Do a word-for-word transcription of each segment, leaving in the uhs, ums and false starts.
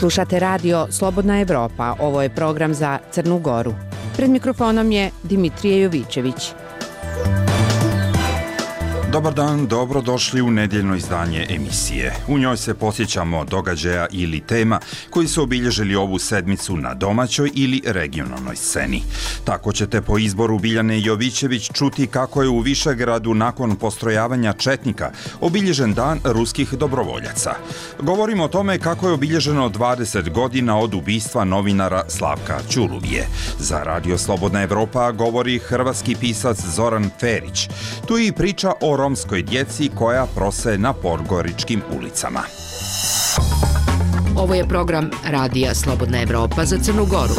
Slušate radio Slobodna Evropa, ovo je program za Crnu Goru. Pred mikrofonom je Dimitrije Jovićević. Dobar dan, dobrodošli u nedjeljno izdanje emisije. U njoj se posjećamo događaja ili tema koji su obilježili ovu sedmicu na domaćoj ili regionalnoj sceni. Tako ćete po izboru Biljane Jovićević čuti kako je u Višegradu nakon postrojavanja četnika obilježen dan ruskih dobrovoljaca. Govorimo o tome kako je obilježeno dvadeset godina od ubistva novinara Slavka Ćuruvije. Za Radio Slobodna Evropa govori hrvatski pisac Zoran Ferić. Tu je i priča o romskoj djeci koja prose na podgoričkim ulicama. Ovo je program Radija Slobodna Evropa za Crnu Goru.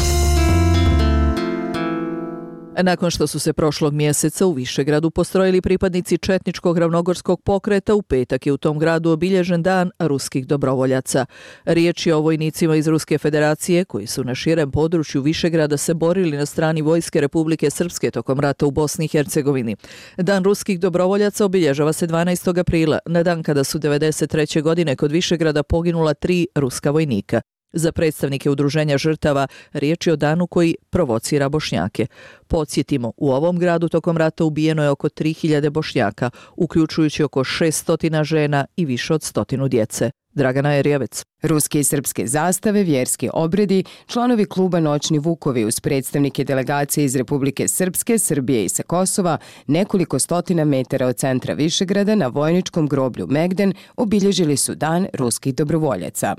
Nakon što su se prošlog mjeseca u Višegradu postrojili pripadnici četničkog ravnogorskog pokreta, u petak je u tom gradu obilježen dan ruskih dobrovoljaca. Riječ je o vojnicima iz Ruske federacije koji su na širem području Višegrada se borili na strani vojske Republike Srpske tokom rata u Bosni i Hercegovini. Dan ruskih dobrovoljaca obilježava se dvanaestog aprila, na dan kada su devedeset treće godine kod Višegrada poginula tri ruska vojnika. Za predstavnike udruženja žrtava riječ je o danu koji provocira Bošnjake. Podsjetimo, u ovom gradu tokom rata ubijeno je oko tri hiljade Bošnjaka, uključujući oko šesto žena i više od stotinu djece. Dragana Erjevec. Ruske i srpske zastave, vjerski obredi, članovi kluba Noćni Vukovi uz predstavnike delegacije iz Republike Srpske, Srbije i sa Kosova, nekoliko stotina metara od centra Višegrada na vojničkom groblju Megden obilježili su dan ruskih dobrovoljaca.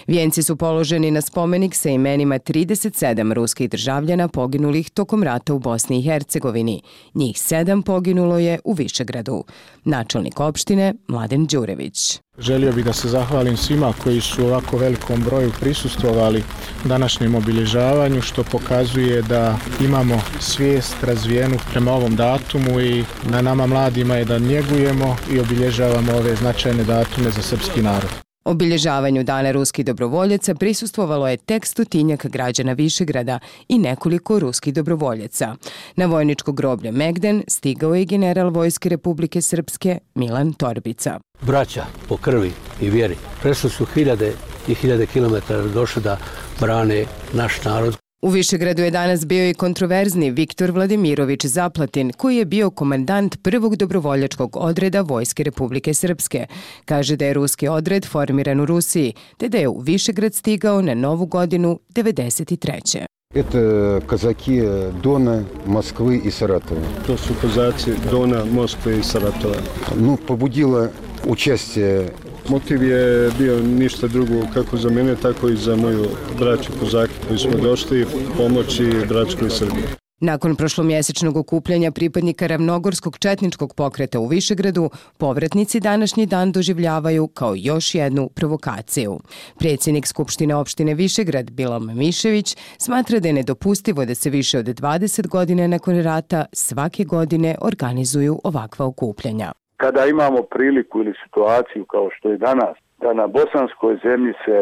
Vijenci su položeni na spomenik sa imenima trideset sedam ruskih državljana poginulih tokom rata u Bosni i Hercegovini. Njih sedam poginulo je u Višegradu. Načelnik opštine Mladen Đurević. Želio bih da se zahvalim svima koji su u ovako velikom broju prisustvovali današnjem obilježavanju, što pokazuje da imamo svijest razvijenu prema ovom datumu i na nama mladima je da njegujemo i obilježavamo ove značajne datume za srpski narod. Obilježavanju Dana ruskih dobrovoljaca prisustvovalo je tek stotinjak građana Višegrada i nekoliko ruskih dobrovoljaca. Na vojničko groblje Megden stigao je general Vojske Republike Srpske Milan Torbica. Braća po krvi i vjeri prešli su hiljade i hiljade kilometara došli da brane naš narod. U Višegradu je danas bio i kontroverzni Viktor Vladimirović Zaplatin, koji je bio komandant prvog dobrovoljačkog odreda Vojske Republike Srpske. Kaže da je ruski odred formiran u Rusiji, te da je u Višegrad stigao na Novu godinu devedeset treće. Это казаки Дона, Москвы и Саратова. To su kozaci Dona, Moskve i Saratova. Ну, побудило участие. Motiv je bio ništa drugo kako za mene, tako i za moju braću kozake koji smo došli pomoći bračkoj Srbiji. Nakon prošlomjesečnog okupljanja pripadnika ravnogorskog četničkog pokreta u Višegradu, povratnici današnji dan doživljavaju kao još jednu provokaciju. Predsjednik Skupštine opštine Višegrad, Bilom Mišević, smatra da je nedopustivo da se više od dvadeset godina nakon rata svake godine organizuju ovakva okupljanja. Kada imamo priliku ili situaciju kao što je danas, da na bosanskoj zemlji se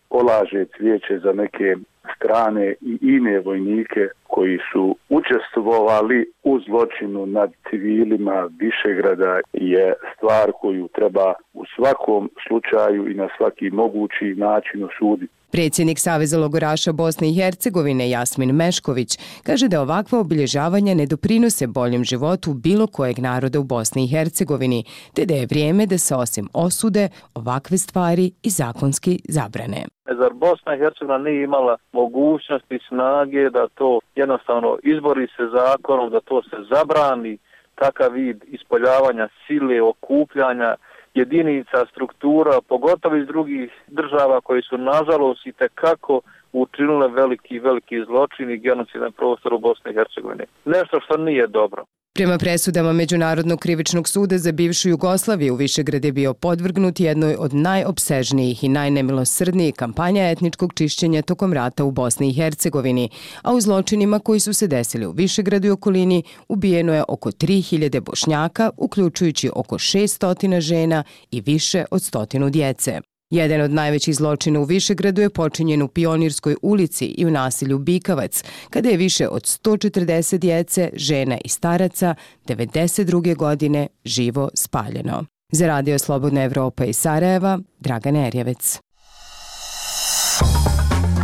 polaže cvijeće za neke strane i ine vojnike koji su učestvovali u zločinu nad civilima Višegrada, je stvar koju treba u svakom slučaju i na svaki mogući način osuditi. Predsjednik Saveza logoraša Bosne i Hercegovine Jasmin Mešković kaže da ovakva obilježavanja ne doprinose boljem životu bilo kojeg naroda u Bosni i Hercegovini, te da je vrijeme da se osim osude ovakve stvari i zakonski zabrane. Zar Bosna i Hercegovina nije imala mogućnosti, snage da to jednostavno izbori se zakonom, da to se zabrani, takav vid ispoljavanja sile, okupljanja jedinica, struktura, pogotovo iz drugih država koji su nažalost i tekako učinile veliki, veliki zločin i genocid na prostoru Bosne i Hercegovine. Nešto što nije dobro. Prema presudama Međunarodnog krivičnog suda za bivšu Jugoslaviju, Višegrad je bio podvrgnut jednoj od najopsežnijih i najnemilosrdnijih kampanja etničkog čišćenja tokom rata u Bosni i Hercegovini, a u zločinima koji su se desili u Višegradu i okolini ubijeno je oko tri hiljade Bošnjaka, uključujući oko šesto žena i više od stotinu djece. Jedan od najvećih zločina u Višegradu je počinjen u Pionirskoj ulici i u naselju Bikavac, kada je više od sto četrdeset djece, žena i staraca devedeset druge godine živo spaljeno. Za Radio Slobodna Evropa iz Sarajeva, Dragana Erjevec.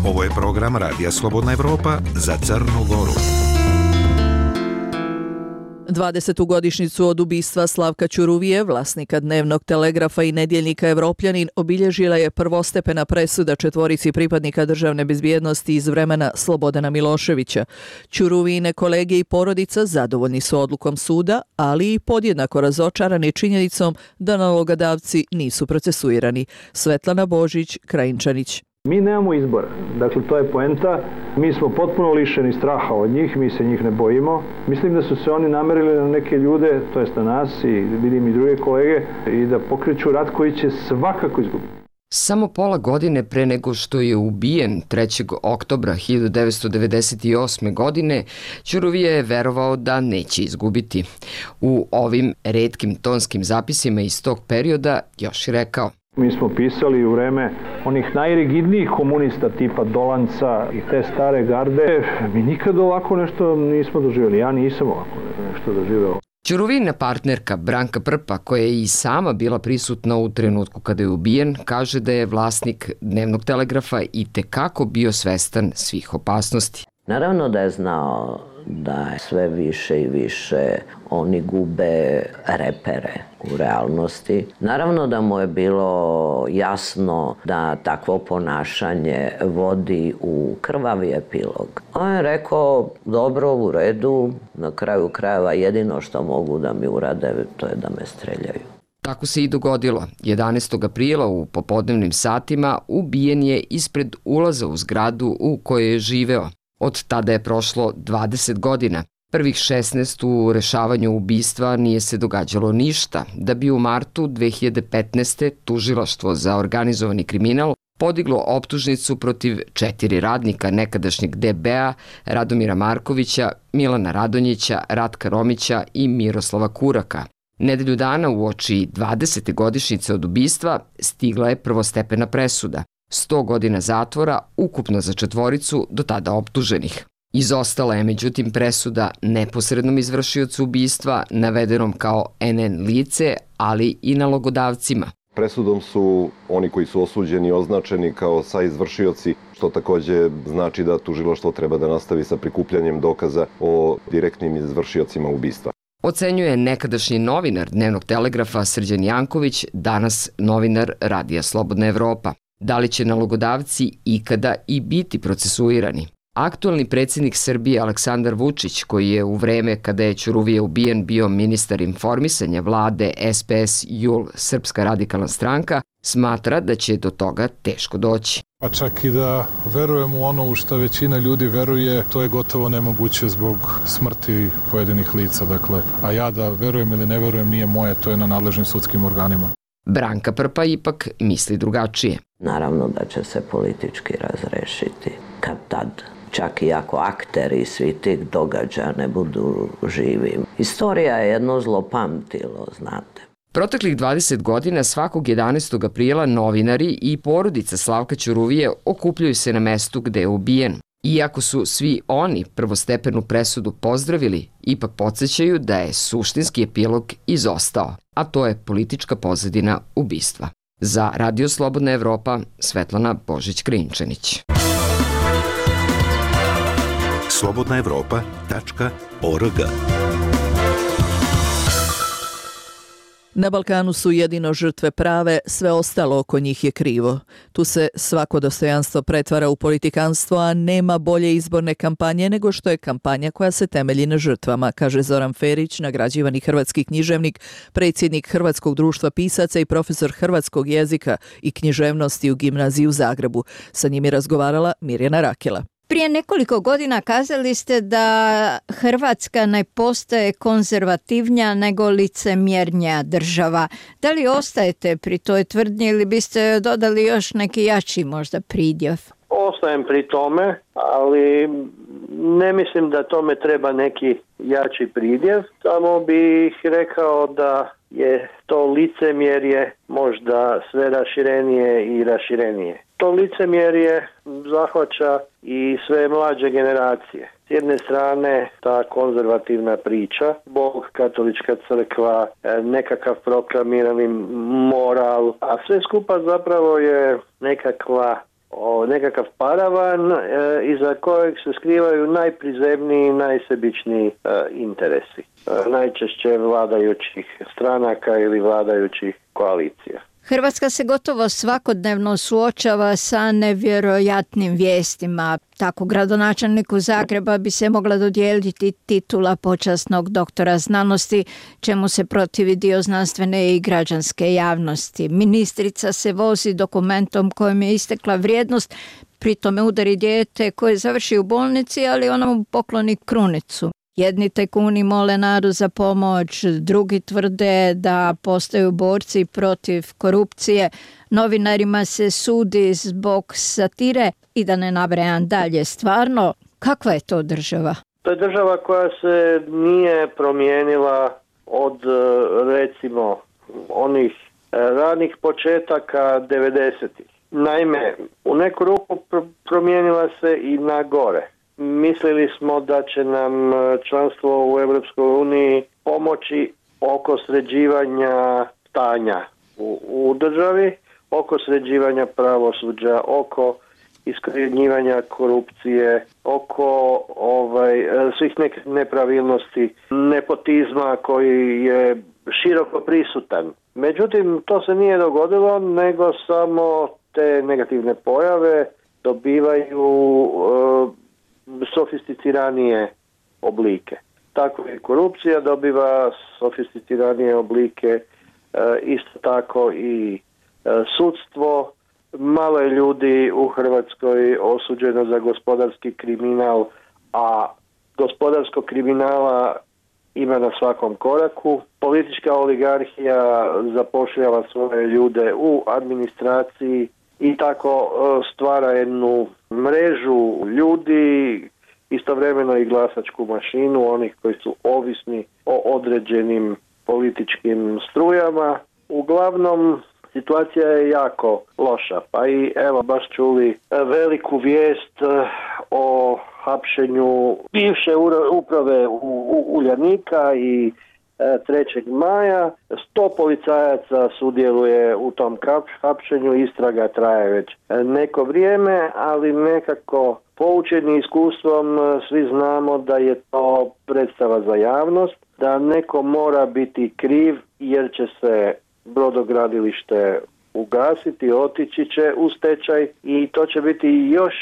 Ovo je program Radija Slobodna Evropa za Crnu Goru. dvadesetu godišnjicu od ubistva Slavka Ćuruvije, vlasnika Dnevnog telegrafa i nedjeljnika Evropljanin, obilježila je prvostepena presuda četvorici pripadnika državne bezbjednosti iz vremena Slobodana Miloševića. Ćuruvijine kolege i porodica zadovoljni su odlukom suda, ali i podjednako razočarani činjenicom da nalogodavci nisu procesuirani. Svetlana Božić, Krajinčanić. Mi nemamo izbora, dakle to je poenta, mi smo potpuno lišeni straha od njih, mi se njih ne bojimo. Mislim da su se oni namerili na neke ljude, to jest na nas i vidim i druge kolege, i da pokreću rat koji će svakako izgubiti. Samo pola godine pre nego što je ubijen trećeg oktobra hiljadu devetsto devedeset osme. godine, Ćuruvije je verovao da neće izgubiti. U ovim retkim tonskim zapisima iz tog perioda još je rekao: Mi smo pisali u vreme onih najrigidnijih komunista tipa Dolanca i te stare garde. Mi nikad ovako nešto nismo doživjeli. Ja nisam ovako nešto doživjela. Ćuruvijina partnerka Branka Prpa, koja je i sama bila prisutna u trenutku kada je ubijen, kaže da je vlasnik Dnevnog telegrafa i tekako bio svestan svih opasnosti. Naravno da je znao da sve više i više oni gube repere u realnosti. Naravno da mu je bilo jasno da takvo ponašanje vodi u krvavi epilog. On je rekao, dobro, u redu, na kraju krajeva jedino što mogu da mi urade, to je da me streljaju. Tako se i dogodilo. jedanaestog aprila u popodnevnim satima ubijen je ispred ulaza u zgradu u kojoj je živeo. Od tada je prošlo dvadeset godina. Prvih šesnaest u rešavanju ubistva nije se događalo ništa, da bi u martu dve hiljade petnaeste. tužilaštvo za organizovani kriminal podiglo optužnicu protiv četiri radnika nekadašnjeg D B-a, Radomira Markovića, Milana Radonjića, Ratka Romića i Miroslava Kuraka. Nedelju dana uoči dvadesete godišnjice od ubistva stigla je prvostepena presuda. sto godina zatvora ukupno za četvoricu do tada optuženih. Izostala je međutim presuda neposrednom izvršiocu ubistva, navedenom kao N N lice, ali i nalogodavcima. Presudom su oni koji su osuđeni označeni kao saizvršioci, što takođe znači da tužilaštvo treba da nastavi sa prikupljanjem dokaza o direktnim izvršiocima ubistva. Ocenjuje nekadašnji novinar Dnevnog telegrafa Srđan Janković, danas novinar Radija Slobodna Evropa. Da li će nalogodavci ikada i biti procesuirani? Aktualni predsjednik Srbije Aleksandar Vučić, koji je u vreme kada je Ćuruvije ubijen bio ministar informisanja vlade S P S J U L, Srpska radikalna stranka, smatra da će do toga teško doći. Pa čak i da verujem u ono u što većina ljudi veruje, to je gotovo nemoguće zbog smrti pojedinih lica. Dakle, a ja da verujem ili ne verujem nije moje, to je na nadležnim sudskim organima. Branka Prpa ipak misli drugačije. Naravno da će se politički razrešiti kad tad. Čak i ako akteri svi tih događaja ne budu živi. Istorija je jedno zlopamtilo, znate. Proteklih dvadeset godina svakog jedanaestog aprila novinari i porodica Slavka Ćuruvije okupljaju se na mestu gde je ubijen. Iako su svi oni prvostepenu presudu pozdravili, ipak podsjećaju da je suštinski epilog izostao, a to je politička pozadina ubistva. Za Radio Slobodna Evropa, Svetlana Božić-Krajinčanić. slobodna evropa tačka org. Na Balkanu su jedino žrtve prave, sve ostalo oko njih je krivo. Tu se svako dostojanstvo pretvara u politikanstvo, a nema bolje izborne kampanje nego što je kampanja koja se temelji na žrtvama, kaže Zoran Ferić, nagrađivani hrvatski književnik, predsjednik Hrvatskog društva pisaca i profesor hrvatskog jezika i književnosti u gimnaziji u Zagrebu. Sa njim je razgovarala Mirjana Rakela. Prije nekoliko godina kazali ste da Hrvatska ne postaje konzervativnija nego licemjernija država. Da li ostajete pri toj tvrdnji ili biste dodali još neki jači možda pridjev? Ostajem pri tome, ali ne mislim da tome treba neki jači pridjev. Samo bih rekao da je to licemjerje možda sve raširenije i raširenije. To licemjerje zahvaća i sve mlađe generacije. S jedne strane ta konzervativna priča, Bog, katolička crkva, nekakav proklamirani moral, a sve skupa zapravo je nekakva o, nekakav paravan e, iza kojeg se skrivaju najprizemniji i najsebičniji e, interesi. E, najčešće vladajućih stranaka ili vladajućih koalicija. Hrvatska se gotovo svakodnevno suočava sa nevjerojatnim vijestima. Tako gradonačelniku Zagreba bi se mogla dodijeliti titula počasnog doktora znanosti, čemu se protivi dio znanstvene i građanske javnosti. Ministrica se vozi dokumentom kojem je istekla vrijednost, pri tome udari dijete koje završi u bolnici, ali ona mu pokloni krunicu. Jedni tajkuni mole narodu za pomoć, drugi tvrde da postaju borci protiv korupcije, novinarima se sudi zbog satire i da ne nabrajam dalje. Stvarno, kakva je to država? To je država koja se nije promijenila od, recimo, onih ranih početaka devedesetih. Naime, u neku ruku promijenila se i na gore. Mislili smo da će nam članstvo u Europskoj uniji pomoći oko sređivanja stanja u, u državi, oko sređivanja pravosuđa, oko iskorjenjivanja korupcije, oko ovaj, svih nek- nepravilnosti, nepotizma koji je široko prisutan. Međutim, to se nije dogodilo, nego samo te negativne pojave dobivaju uh, sofisticiranije oblike. Tako i korupcija dobiva sofisticiranije oblike, e, isto tako i e, sudstvo. Malo je ljudi u Hrvatskoj osuđeno za gospodarski kriminal, a gospodarskog kriminala ima na svakom koraku. Politička oligarhija zapošljava svoje ljude u administraciji i tako stvara jednu mrežu ljudi, istovremeno i glasačku mašinu onih koji su ovisni o određenim političkim strujama. Uglavnom, situacija je jako loša, pa i evo baš čuli veliku vijest o hapšenju bivše uprave u, u Uljanika i trećeg maja. Sto policajaca sudjeluje u tom hapšenju, istraga traje već neko vrijeme, ali nekako poučeni iskustvom svi znamo da je to predstava za javnost, da neko mora biti kriv jer će se brodogradilište ugasiti, otići će u stečaj i to će biti još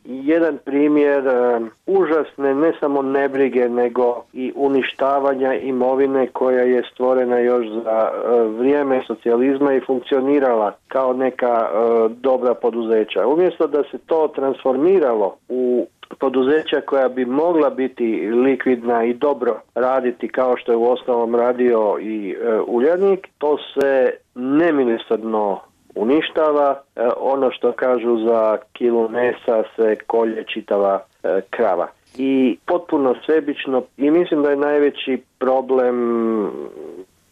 jedan primjer um, užasne ne samo nebrige nego i uništavanja imovine koja je stvorena još za uh, vrijeme socijalizma i funkcionirala kao neka uh, dobra poduzeća. Umjesto da se to transformiralo u poduzeća koja bi mogla biti likvidna i dobro raditi kao što je u osnovom radio i uh, Uljanik, to se nemilosrdno uništava. E, ono što kažu za kilu mesa se kolje čitava e, krava. I potpuno sebično, i mislim da je najveći problem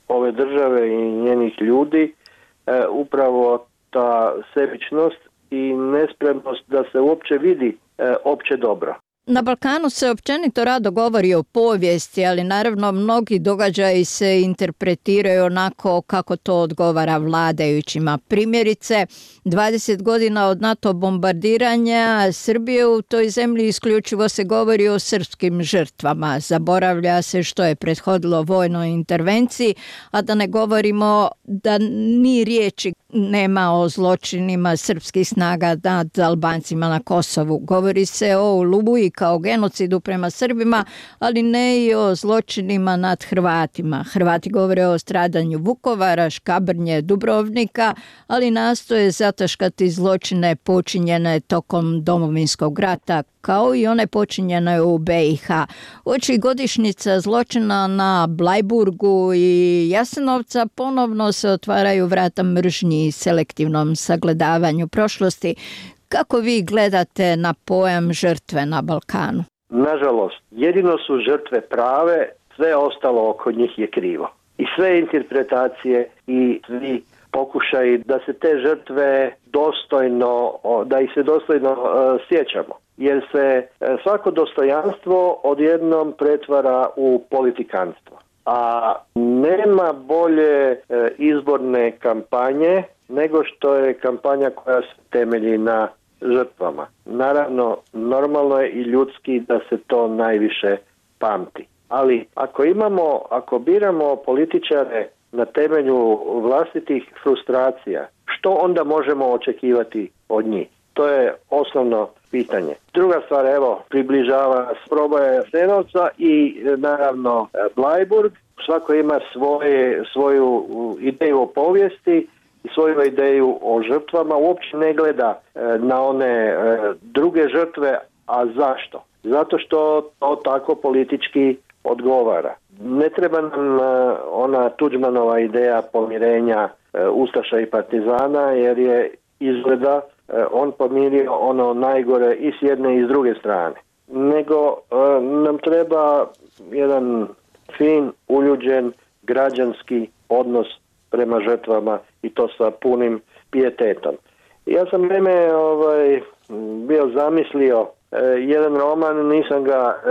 ove države i njenih ljudi e, upravo ta sebičnost i nespremnost da se uopće vidi e, opće dobro. Na Balkanu se općenito rado govori o povijesti, ali naravno mnogi događaji se interpretiraju onako kako to odgovara vladajućima. Primjerice, dvadeset godina od NATO bombardiranja Srbije u toj zemlji isključivo se govori o srpskim žrtvama. Zaboravlja se što je prethodilo vojnoj intervenciji, a da ne govorimo da ni riječi nema o zločinima srpskih snaga nad Albancima na Kosovu. Govori se o Oluji kao genocidu prema Srbima, ali ne i o zločinima nad Hrvatima. Hrvati govore o stradanju Vukovara, Škabrnje, Dubrovnika, ali nastoje zataškati zločine počinjene tokom Domovinskog rata, kao i one počinjene u be i ha. Uoči godišnjica zločina na Blajburgu i Jasenovca ponovno se otvaraju vrata mržnji i selektivnom sagledavanju prošlosti. Kako vi gledate na pojam žrtve na Balkanu? Nažalost, jedino su žrtve prave, sve ostalo oko njih je krivo. I sve interpretacije i svi pokušaji da se te žrtve dostojno, da ih se dostojno uh, sjećamo. Jer se uh, svako dostojanstvo odjednom pretvara u politikanstvo. A nema bolje uh, izborne kampanje nego što je kampanja koja se temelji na žrtvama. Naravno, normalno je i ljudski da se to najviše pamti. Ali ako imamo, ako biramo političare na temelju vlastitih frustracija, što onda možemo očekivati od njih? To je osnovno pitanje. Druga stvar, evo, približava proboje Jasenovca i naravno Blajburg. Svako ima svoje, svoju ideju o povijesti i svoju ideju o žrtvama. Uopće ne gleda na one druge žrtve, a zašto? Zato što to tako politički odgovara. Ne treba nam ona Tuđmanova ideja pomirenja ustaša i partizana, jer je izgleda on pomirio ono najgore i s jedne i s druge strane. Nego nam treba jedan fin, uljuđen, građanski odnos prema žrtvama i to sa punim pijetetom. Ja sam vreme ovaj, bio zamislio jedan roman, nisam ga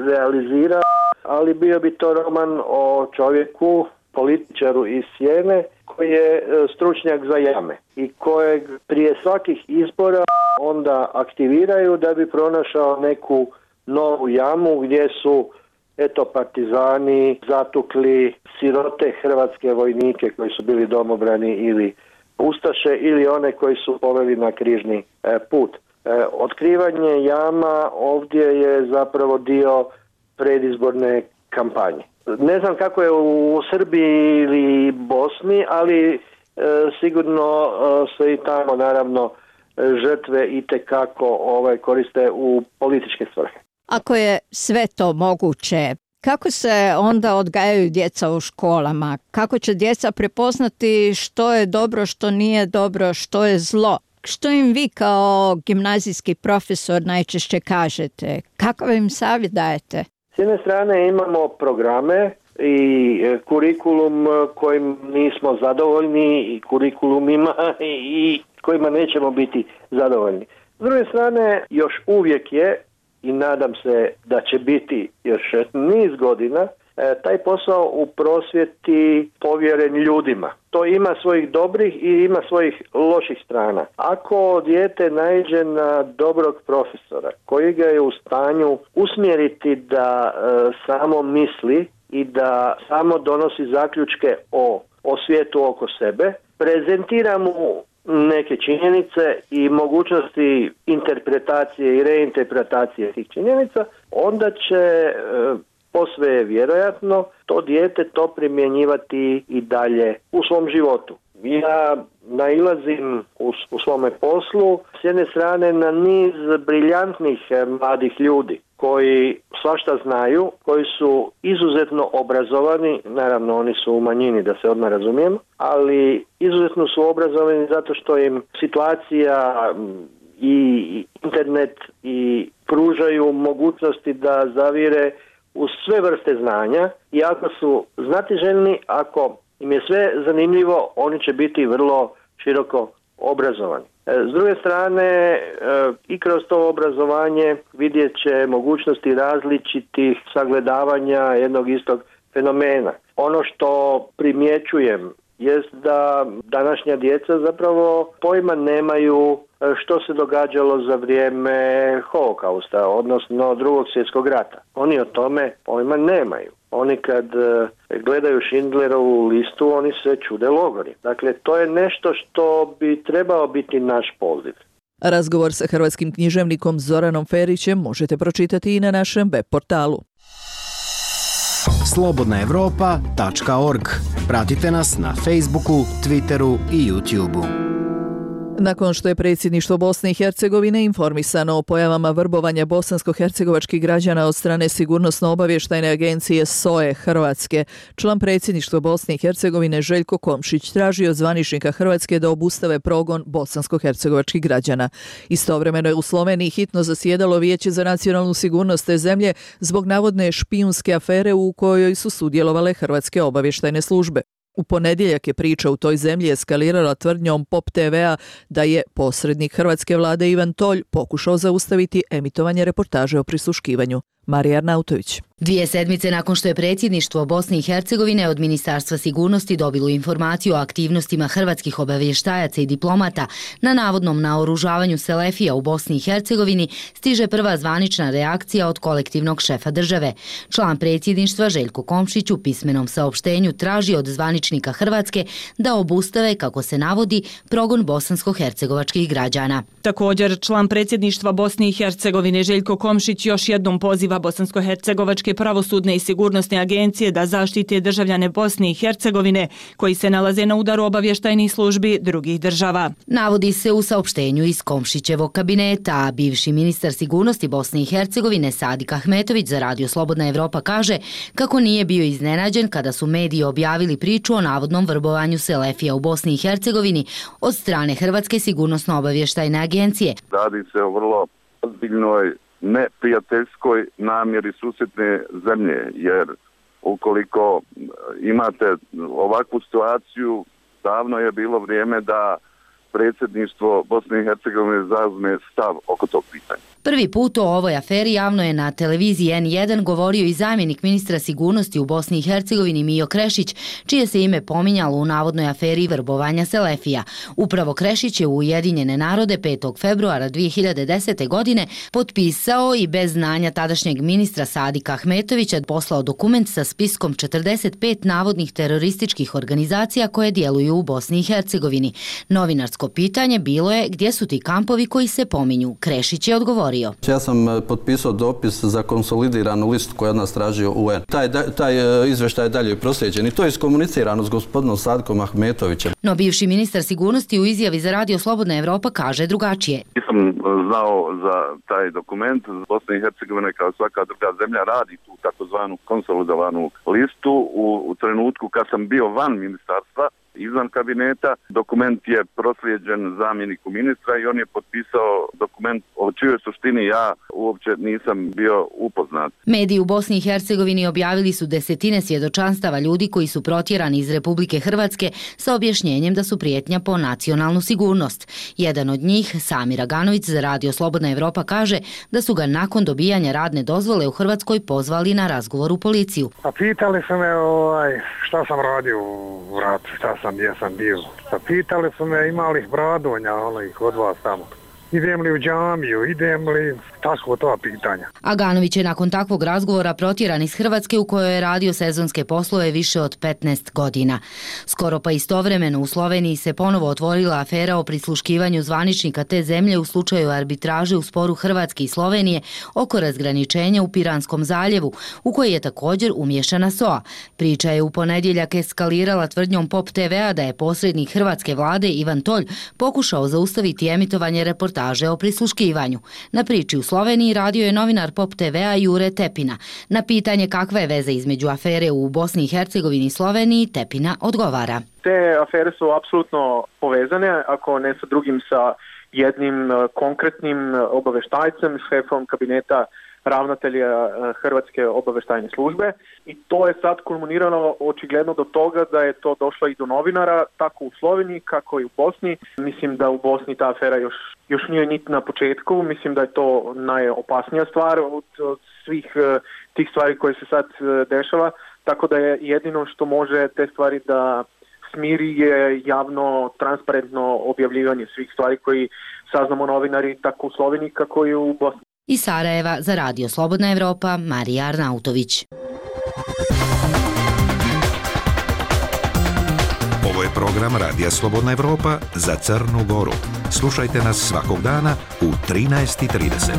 realizirao, ali bio bi to roman o čovjeku, političaru iz Sjene, koji je stručnjak za jame i kojeg prije svakih izbora onda aktiviraju da bi pronašao neku novu jamu gdje su eto partizani zatukli sirote hrvatske vojnike koji su bili domobrani ili ustaše ili one koji su poveli na križni e, put. E, otkrivanje jama ovdje je zapravo dio predizborne kampanje. Ne znam kako je u Srbiji ili Bosni, ali e, sigurno e, se i tamo naravno žrtve itekako ovaj, koriste u političke svrhe. Ako je sve to moguće, kako se onda odgajaju djeca u školama? Kako će djeca prepoznati što je dobro, što nije dobro, što je zlo? Što im vi kao gimnazijski profesor najčešće kažete? Kakav im savjet dajete? S jedne strane imamo programe i kurikulum kojim nismo zadovoljni i kurikulumima i kojima nećemo biti zadovoljni. S druge strane, još uvijek je, i nadam se da će biti još niz godina, taj posao u prosvjeti povjeren ljudima. To ima svojih dobrih i ima svojih loših strana. Ako dijete naiđe na dobrog profesora koji ga je u stanju usmjeriti da e, samo misli i da samo donosi zaključke o, o svijetu oko sebe, prezentira mu neke činjenice i mogućnosti interpretacije i reinterpretacije tih činjenica, onda će e, posve je vjerojatno to dijete to primjenjivati i dalje u svom životu. Ja nailazim u, u svome poslu s jedne strane na niz briljantnih mladih ljudi koji svašta znaju, koji su izuzetno obrazovani, naravno oni su u manjini da se odmah razumijemo, ali izuzetno su obrazovani zato što im situacija i internet i pružaju mogućnosti da zavire u sve vrste znanja i ako su znatiželjni, ako im je sve zanimljivo, oni će biti vrlo široko obrazovani. S druge strane, i kroz to obrazovanje vidjet će mogućnosti različitih sagledavanja jednog istog fenomena. Ono što primjećujem jest da današnja djeca zapravo pojma nemaju što se događalo za vrijeme Holokausta, odnosno Drugog svjetskog rata. Oni o tome pojma nemaju. Oni kad gledaju Schindlerovu listu, oni se čude logori. Dakle, to je nešto što bi trebao biti naš poziv. Razgovor sa hrvatskim književnikom Zoranom Ferićem možete pročitati i na našem web portalu. slobodna evropa tačka org. Pratite nas na Facebooku, Twitteru i YouTubeu. Nakon što je predsjedništvo Bosne i Hercegovine informisano o pojavama vrbovanja bosansko-hercegovačkih građana od strane Sigurnosno-obavještajne agencije S O E Hrvatske, član predsjedništva Bosne i Hercegovine Željko Komšić traži od zvaničnika Hrvatske da obustave progon bosansko-hercegovačkih građana. Istovremeno je u Sloveniji hitno zasjedalo Vijeće za nacionalnu sigurnost te zemlje zbog navodne špijunske afere u kojoj su sudjelovale hrvatske obavještajne službe. U ponedjeljak je priča u toj zemlji eskalirala tvrdnjom Pop T V-a da je posrednik hrvatske vlade Ivan Tolj pokušao zaustaviti emitovanje reportaže o prisluškivanju. Marija Arnautović. Dvije sedmice nakon što je predsjedništvo Bosne i Hercegovine od Ministarstva sigurnosti dobilo informaciju o aktivnostima hrvatskih obavještajaca i diplomata na navodnom naoružavanju Selefija u Bosni i Hercegovini, stiže prva zvanična reakcija od kolektivnog šefa države. Član predsjedništva Željko Komšić u pismenom saopštenju traži od zvaničnika Hrvatske da obustave, kako se navodi, progon bosansko-hercegovačkih građana. Također, član predsjedništva Bosne i Hercegovine Željko Komšić još jednom poziva bosansko-hercegovačke pravosudne i sigurnosne agencije da zaštite državljane Bosne i Hercegovine koji se nalaze na udaru obavještajnih službi drugih država. Navodi se u saopštenju iz Komšićevog kabineta, a bivši ministar sigurnosti Bosne i Hercegovine Sadik Ahmetović za Radio Slobodna Evropa kaže kako nije bio iznenađen kada su mediji objavili priču o navodnom vrbovanju Selefija u Bosni i Hercegovini od strane Hrvatske sigurnosno-obavještajne agencije. Radi se o vrlo ozbiljnoj neprijateljskoj namjeri susjedne zemlje, jer ukoliko imate ovakvu situaciju, davno je bilo vrijeme da predsjedništvo Bosne i Hercegovine zauzme stav oko tog pitanja. Prvi put o ovoj aferi javno je na televiziji en jedan govorio i zamjenik ministra sigurnosti u Bosni i Hercegovini Mijo Krešić, čije se ime pominjalo u navodnoj aferi vrbovanja Selefija. Upravo Krešić je u Ujedinjene narode petog februara dvije hiljade desete. godine potpisao i bez znanja tadašnjeg ministra Sadika Ahmetovića poslao dokument sa spiskom četrdeset pet navodnih terorističkih organizacija koje djeluju u Bosni i Hercegovini. Novinarsko pitanje bilo je gdje su ti kampovi koji se pominju. Krešić je odgovorio. Ja sam potpisao dopis za konsolidiranu listu koju od nas tražio U N. Taj, taj izveštaj je dalje proslijeđen i to je iskomunicirano s gospodinom Sadikom Ahmetovićem. No bivši ministar sigurnosti u izjavi za Radio Slobodna Evropa kaže drugačije. Nisam znao za taj dokument. Bosna i Hercegovina kao svaka druga zemlja radi tu takozvanu konsolidovanu listu. U, u trenutku kad sam bio van ministarstva, izvan kabineta, dokument je proslijeđen zamjeniku ministra i on je potpisao dokument o čijoj suštini ja uopće nisam bio upoznat. Mediji u Bosni i Hercegovini objavili su desetine svjedočanstava ljudi koji su protjerani iz Republike Hrvatske sa objašnjenjem da su prijetnja po nacionalnu sigurnost. Jedan od njih, Samir Aganović za Radio Slobodna Evropa, kaže da su ga nakon dobijanja radne dozvole u Hrvatskoj pozvali na razgovor u policiju. A pitali su me ovaj, šta sam radio u ratu, šta sam, gdje sam bio. A pitali su me ima li bradonja onih od vas tamo. Idem li u džamiju, idem li, tako to pitanja. Aganović je nakon takvog razgovora protjeran iz Hrvatske u kojoj je radio sezonske poslove više od petnaest godina. Skoro pa istovremeno u Sloveniji se ponovo otvorila afera o prisluškivanju zvaničnika te zemlje u slučaju arbitraže u sporu Hrvatske i Slovenije oko razgraničenja u Piranskom zaljevu, u kojoj je također umješana S O A. Priča je u ponedjeljak eskalirala tvrdnjom Pop te ve-a da je posrednik hrvatske vlade Ivan Tolj pokušao zaustaviti emitovanje reportaža o prisluškivanju. Na priči u Sloveniji radio je novinar Pop te ve-a Jure Tepina. Na pitanje kakva je veza između afere u Bosni i Hercegovini i Sloveniji, Tepina odgovara. Te afere su apsolutno povezane, ako ne sa drugim, sa jednim konkretnim obaveštajcem, šefom kabineta ravnatelja Hrvatske obavještajne službe, i to je sad kulminirano očigledno do toga da je to došlo i do novinara, tako u Sloveniji kako i u Bosni. Mislim da u Bosni ta afera još, još nije niti na početku, mislim da je to najopasnija stvar od, od svih tih stvari koje se sad dešava, tako da je jedino što može te stvari da smiri je javno, transparentno objavljivanje svih stvari koji saznamo novinari tako u Sloveniji kako i u Bosni. Iz Sarajeva za Radio Slobodna Evropa, Marija Arnautović. Ovo je program Radija Slobodna Evropa za Crnu Goru. Slušajte nas svakog dana u trinaest i trideset.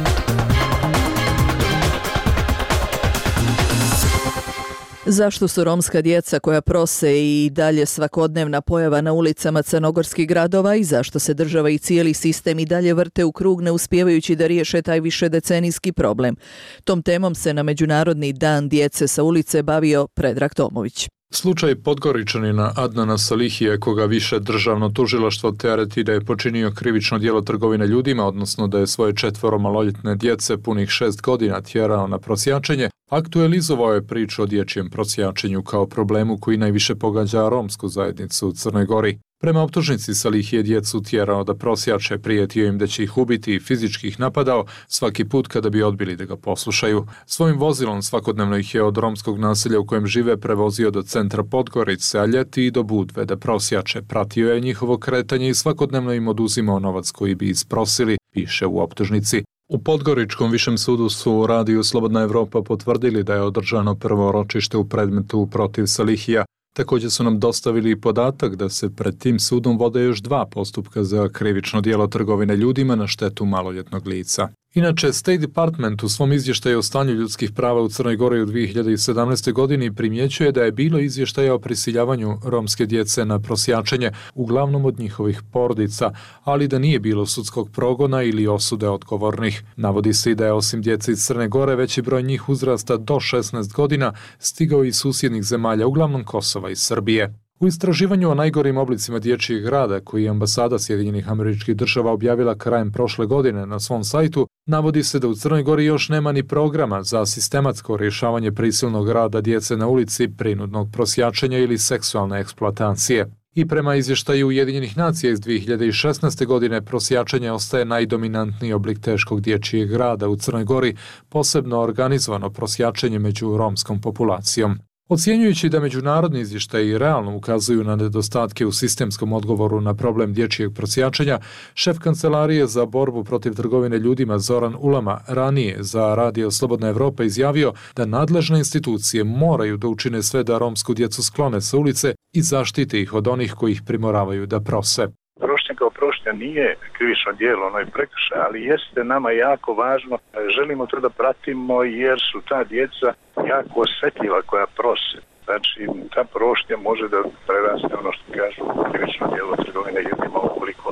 Zašto su romska djeca koja prose i dalje svakodnevna pojava na ulicama crnogorskih gradova i zašto se država i cijeli sistem i dalje vrte u krug ne uspijevajući da riješe taj višedecenijski problem? Tom temom se na Međunarodni dan djece sa ulice bavio Predrag Tomović. Slučaj Podgoričanina Adnana Salihije, koga više državno tužilaštvo tereti da je počinio krivično djelo trgovine ljudima, odnosno da je svoje četvoro maloljetne djece punih šest godina tjerao na prosjačenje, aktualizovao je priču o dječjem prosjačenju kao problemu koji najviše pogađa romsku zajednicu u Crnoj Gori. Prema optužnici Salih je djecu tjerao da prosjače, prijetio im da će ih ubiti i fizički ih napadao svaki put kada bi odbili da ga poslušaju. Svojim vozilom svakodnevno ih je od romskog naselja u kojem žive prevozio do centra Podgorice, a ljeti i do Budve da prosjače. Pratio je njihovo kretanje i svakodnevno im oduzimao novac koji bi isprosili, piše u optužnici. U Podgoričkom višem sudu su u radiju Slobodna Evropa potvrdili da je održano prvo ročište u predmetu protiv Salihija. Također su nam dostavili i podatak da se pred tim sudom vode još dva postupka za krivično djelo trgovine ljudima na štetu maloljetnog lica. Inače, State Department u svom izvještaju o stanju ljudskih prava u Crnoj Gori u dvije hiljade sedamnaestoj. godini primjećuje da je bilo izvještaja o prisiljavanju romske djece na prosjačenje, uglavnom od njihovih porodica, ali da nije bilo sudskog progona ili osude odgovornih. Navodi se i da je osim djece iz Crne Gore veći broj njih uzrasta do šesnaest godina stigao iz susjednih zemalja, uglavnom Kosova i Srbije. U istraživanju o najgorim oblicima dječjeg rada koji je ambasada Sjedinjenih Američkih Država objavila krajem prošle godine na svom sajtu, navodi se da u Crnoj Gori još nema ni programa za sistematsko rješavanje prisilnog rada djece na ulici, prinudnog prosjačenja ili seksualne eksploatacije. I prema izvještaju Ujedinjenih nacija iz dvije hiljade šesnaeste. godine prosjačenje ostaje najdominantniji oblik teškog dječjeg rada u Crnoj Gori, posebno organizovano prosjačenje među romskom populacijom. Ocjenjujući da međunarodni izvještaji realno ukazuju na nedostatke u sistemskom odgovoru na problem dječjeg prosjačenja, šef Kancelarije za borbu protiv trgovine ljudima Zoran Ulama ranije za Radio Slobodna Evropa izjavio da nadležne institucije moraju da učine sve da romsku djecu sklone sa ulice i zaštite ih od onih koji ih primoravaju da prose. Prošnja kao prošnja nije krivično djelo, ono je prekršaj, ali jeste nama jako važno. Želimo to da pratimo jer su ta djeca jako osjetljiva koja prose. Znači, ta prošnja može da preraste ono što kažu krivično djelo trgovine ljudima ukoliko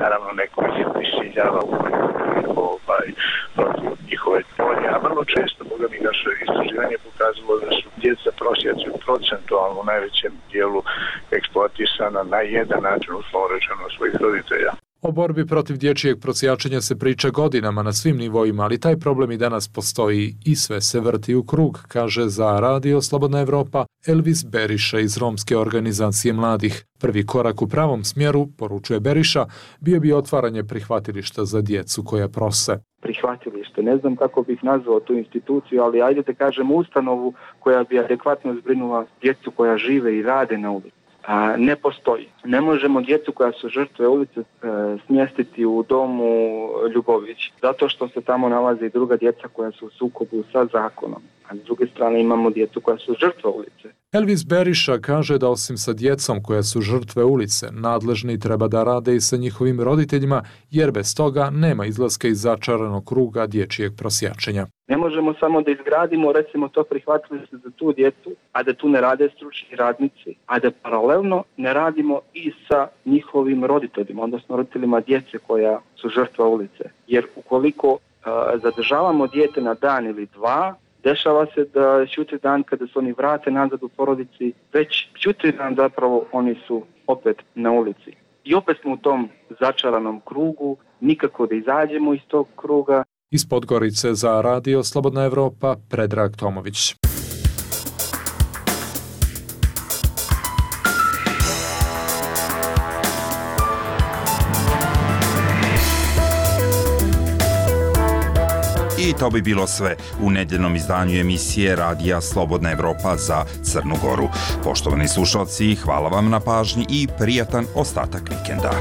naravno neko ih prisiljava ovaj, protiv njihove volje. A vrlo često, boga mi, naše istraživanje pokazalo da su djeca prosjaci procentualno u najvećem dijelu eksploatisana na jedan način, uslovno rečeno, svojih roditelja. O borbi protiv dječjeg prosjačenja se priča godinama na svim nivoima, ali taj problem i danas postoji i sve se vrti u krug, kaže za Radio Slobodna Evropa Elvis Beriša iz Romske organizacije mladih. Prvi korak u pravom smjeru, poručuje Beriša, bio bi otvaranje prihvatilišta za djecu koja prose. Prihvatilište, ne znam kako bih nazvao tu instituciju, ali ajde da kažem ustanovu koja bi adekvatno zbrinula djecu koja žive i rade na ulici. A, ne postoji. Ne možemo djecu koja su žrtve ulice e, smjestiti u domu Ljubović, zato što se tamo nalaze i druga djeca koja su u sukobu sa zakonom. A s druge strane imamo djecu koja su žrtve ulice. Elvis Beriša kaže da osim sa djecom koja su žrtve ulice, nadležni treba da rade i sa njihovim roditeljima, jer bez toga nema izlaska iz začaranog kruga dječjeg prosjačenja. Ne možemo samo da izgradimo, recimo, to prihvatilište za tu djecu, a da tu ne rade stručni radnici, a da paralelno ne radimo i sa njihovim roditeljima, odnosno roditeljima djece koja su žrtva ulice. Jer ukoliko uh, zadržavamo dijete na dan ili dva, dešava se da čutri dan kada se oni vrate nazad u porodici, već čutri dan zapravo oni su opet na ulici. I opet smo u tom začaranom krugu, nikako da izađemo iz tog kruga. Iz Podgorice za Radio Slobodna Evropa, Predrag Tomović. I to bi bilo sve u nedjeljnom izdanju emisije Radija Slobodna Evropa za Crnu Goru. Poštovani slušalci, hvala vam na pažnji i prijatan ostatak vikenda.